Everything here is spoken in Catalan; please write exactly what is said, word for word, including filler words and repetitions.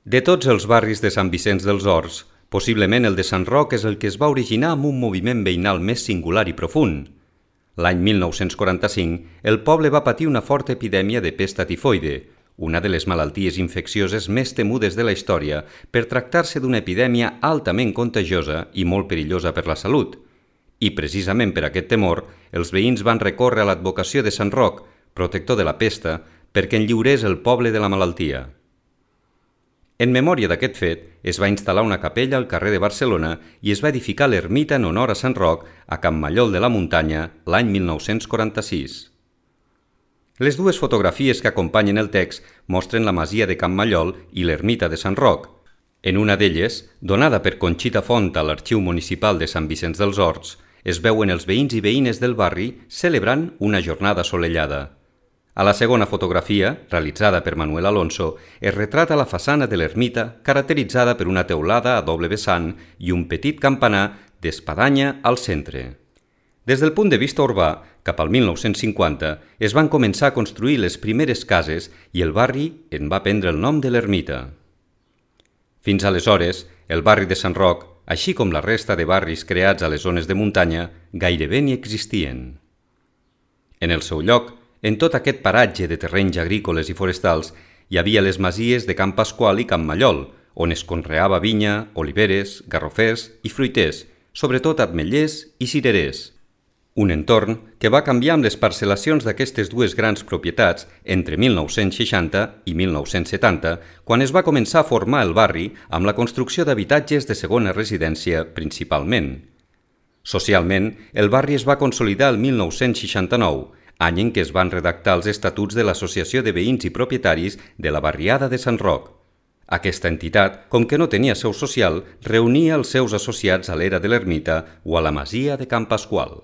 De tots els barris de Sant Vicenç dels Horts, possiblement el de Sant Roc és el que es va originar amb un moviment veïnal més singular i profund. L'any mil nou-cents quaranta-cinc, el poble va patir una forta epidèmia de pesta tifoide, una de les malalties infeccioses més temudes de la història per tractar-se d'una epidèmia altament contagiosa i molt perillosa per la salut. I precisament per aquest temor, els veïns van recórrer a l'advocació de Sant Roc, protector de la pesta, perquè en lliurés el poble de la malaltia. En memòria d'aquest fet, es va instal·lar una capella al carrer de Barcelona i es va edificar l'ermita en honor a Sant Roc a Can Mallol de la Muntanya l'any mil nou-cents quaranta-sis. Les dues fotografies que acompanyen el text mostren la masia de Can Mallol i l'ermita de Sant Roc. En una d'elles, donada per Conxita Font a l'Arxiu Municipal de Sant Vicenç dels Horts, es veuen els veïns i veïnes del barri celebrant una jornada assolellada. A la segona fotografia, realitzada per Manuel Alonso, es retrata la façana de l'ermita caracteritzada per una teulada a doble vessant i un petit campanar d'espadanya al centre. Des del punt de vista urbà, cap al mil nou-cents cinquanta, es van començar a construir les primeres cases i el barri en va prendre el nom de l'ermita. Fins aleshores, el barri de Sant Roc, així com la resta de barris creats a les zones de muntanya, gairebé ni existien. En el seu lloc, en tot aquest paratge de terrenys agrícoles i forestals, hi havia les masies de Can Pasqual i Can Mallol, on es conreava vinya, oliveres, garrofers i fruiters, sobretot ametllers i cirerers. Un entorn que va canviar amb les parcel·lacions d'aquestes dues grans propietats entre mil nou-cents seixanta i mil nou-cents setanta, quan es va començar a formar el barri amb la construcció d'habitatges de segona residència principalment. Socialment, el barri es va consolidar el mil nou-cents seixanta-nou, any en què es van redactar els estatuts de l'Associació de Veïns i Propietaris de la Barriada de Sant Roc. Aquesta entitat, com que no tenia seu social, reunia els seus associats a l'era de l'ermita o a la masia de Can Pasqual.